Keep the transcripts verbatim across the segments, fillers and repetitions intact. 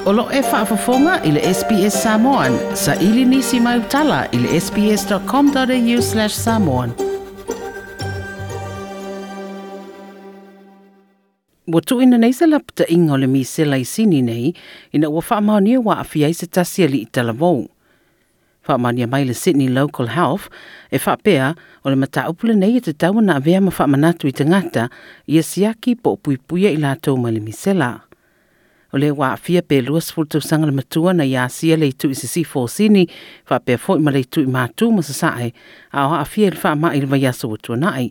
O lo e faafofoga i le S B S Samoan, sa ili nisi mai utala i le S B S dot com dot A U slash samoan. Ua tuuina nei se lapata'iga o le misela i Sini nei ina ua faamaonia ua aafia ai se tasi ali'i talavou. Faamaonia mai le Sydney Local Health e faapea o le mataupu lenei e tatau ona avea ma faamanatu i tagata ia siaki po o puipuia i latou mai le misela. O le ua aafia pe lua sefulu tausaga le matua na ia asia le itu i sisifo o Sini faapea foi ma le itu i Matu ma Sasae a o aafia i le faama'i i le vaiaso ua tuana'i.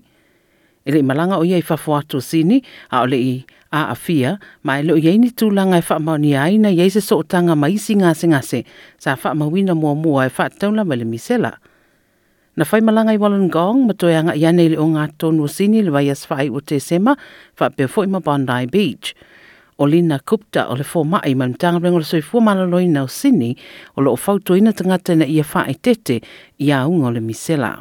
E le i malaga o ia i fafo atu o Sini a o le i aafia ma e le o i ai ni tulaga e faamaonia ai na i ai se sootaga ma isi gasegase sa faamauina muamua e faatatau lava i le misela. Na fai malaga i Wollongong ma toe aga'i ane i le ogatotonu o Sini le vaiaso faaiu o Tesema faapea foi ma Bondi Beach. O Lina Gupta o le foma'i ma le Matagaluega o le Soifua Maloloina o Sini o loo fautuaina tagata ina ia faaeteete i auga o le misela.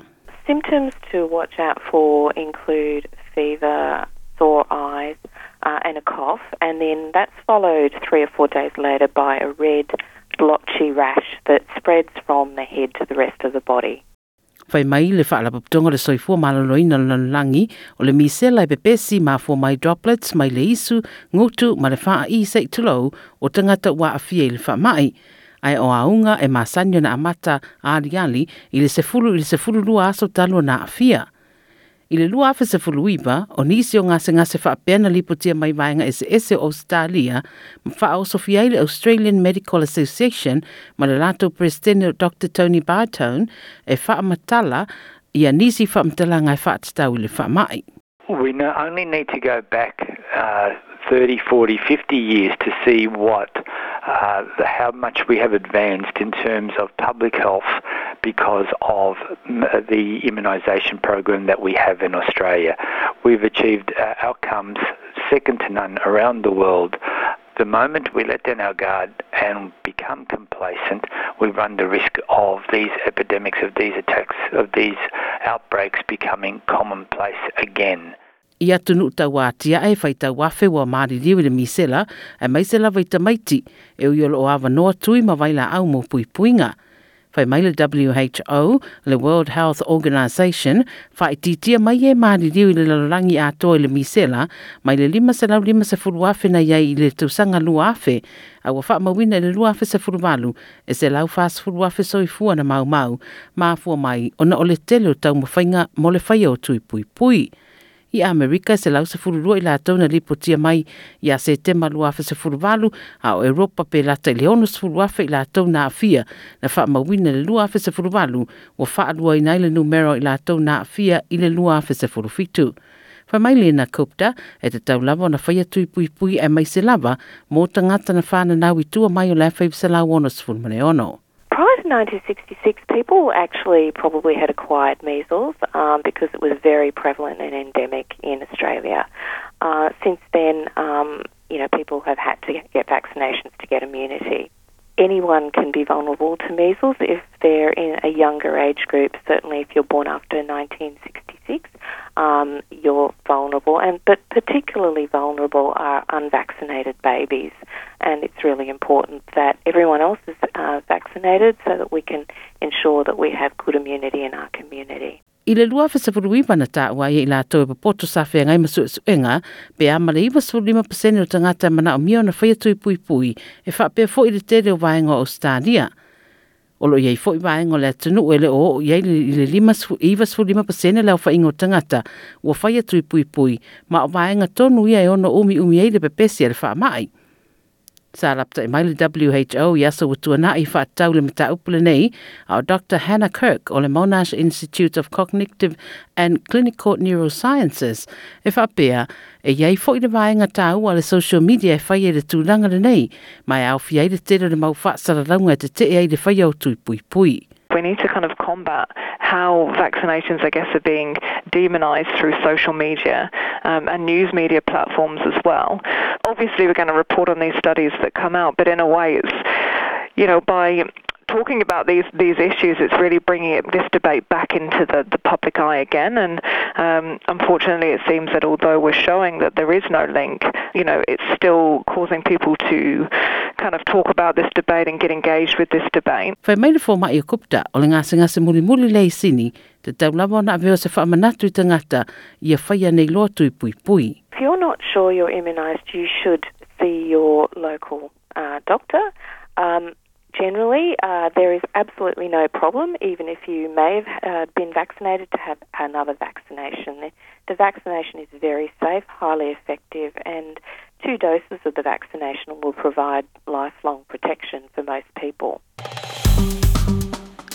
Symptoms to watch out for include fever, sore eyes, uh, and a cough, and then that's followed three or four days later by a red blotchy rash that spreads from the head to the rest of the body. Fai mai le Faalapotopotoga o le Soifua Maloloina o le Lalolagi o le misela e pepesi mafua mai droplets mai le isu, gutu ma le faa'i se'i tulou o tagata ua aafia i le faama'i. Ae o auga e masani ona amata aliali i le sefulu i le sefulu lua aso talu ona aafia. I le lua afe sefulu iva, o nisi o gasegase faapea na lipotia mai vaega eseese o Australia ma faaosofia ai le Australian Medical Association ma le latou Peresetene Doctor Tony Bartone e faamatala ia nisi faamatalaga e faatatau i le faama'i. We only need to go back uh, thirty, forty, fifty years to see what uh, how much we have advanced in terms of public health because of the immunisation program that we have in Australia. We've achieved uh, outcomes second to none around the world. The moment we let down our guard and become complacent, we run the risk of these epidemics, of these attacks, of these outbreaks becoming commonplace again. I atunuu tauatia'e e faitau afe ua maliliu i le misela aemaise lava i tamaiti e ui o loo avanoa tui ma vailaau mo puipuiga. Fai mai le W H O, le World Health Organization, faaitiitia mai e maliliu i le lalolagi atoa i le misela mai le lima selau limasefulu afe na iai i le tausaga lua afe a ua faamauina i le lua afe sefulu valu e selau fasefulu afe soifua na maumau mafua mai ona o le tele o taumafaiga mo le faia o tui puipui. I Amerika selau sefulu lua i latou na lipotia mai ia Setema lua afe sefulu valu, a o Europa pe lata i le ono sefulu afe i latou na aafia na faamauina le lua afe sefulu valu ua faaluaina ai le numera i latou na aafia i le lua afe sefulu fitu. Fai mai Lena Gupta e tatau lava ona faia tui puipui aemaise lava mo tagata na fananau i tua mai o le afe iva selau ono sefulu ma le ono. Prior to nineteen sixty-six, people actually probably had acquired measles um, because it was very prevalent and endemic in Australia. Uh, since then, um, you know, people have had to get vaccinations to get immunity. Anyone can be vulnerable to measles if they're in a younger age group. Certainly, if you're born after nineteen sixty-six, um, you're vulnerable, and but particularly vulnerable are unvaccinated babies. And it's really important that everyone else is uh, vaccinated so that we can ensure that we have good immunity in our community. I le lua afe sefulu iva na taua ai i latou e popoto sa feagai ma suesuega pe a ma le iva sefulu lima pasene o tagata e manaomia ona faia tui puipui e faapea foi le tele o vaega o Australia. O loo i ai foi vaega o le atunuu e le o oo i ai i le lima iva sefulu lima pasene le aofaiga o tagata ua faia tui puipui ma o vaega tonu ia e ono umiumi ai le pepesi a le faama'i. Sa lapata'i mai le W H O i aso ua tuana'i faatatau le mataupu lenei a o Doctor Hannah Kirk o le Monash Institute of Cognitive and Clinical Neurosciences e faapea e iai foi le vaega taua le social media e fai e le tulaga lenei ma e aofia ai le tele o le mau faasalalauga e tetee ai le faia o tui puipui. We need to kind of combat how vaccinations, I guess, are being demonized through social media um, and news media platforms as well. Obviously, we're going to report on these studies that come out, but in a way, it's, you know, by talking about these these issues, it's really bringing it, this debate back into the, the public eye again. And um, unfortunately, it seems that although we're showing that there is no link, you know, it's still causing people to kind of talk about this debate and get engaged with this debate. Fai mai le fomai o Gupta o le gasegase mulimuli lea i Sini, tatau lava ona avea o se faamanatu i tagata ia faia nei loa tui puipui. If you're not sure you're immunised, you should see your local uh, doctor. Um, generally, uh, there is absolutely no problem, even if you may have uh, been vaccinated, to have another vaccination. The, the vaccination is very safe, highly effective, and two doses of the vaccination will provide lifelong protection for most people.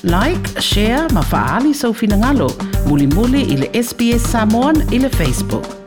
Like, share, ma faaali sou finagalo. Mulimuli i le S B S Samoan i le Facebook.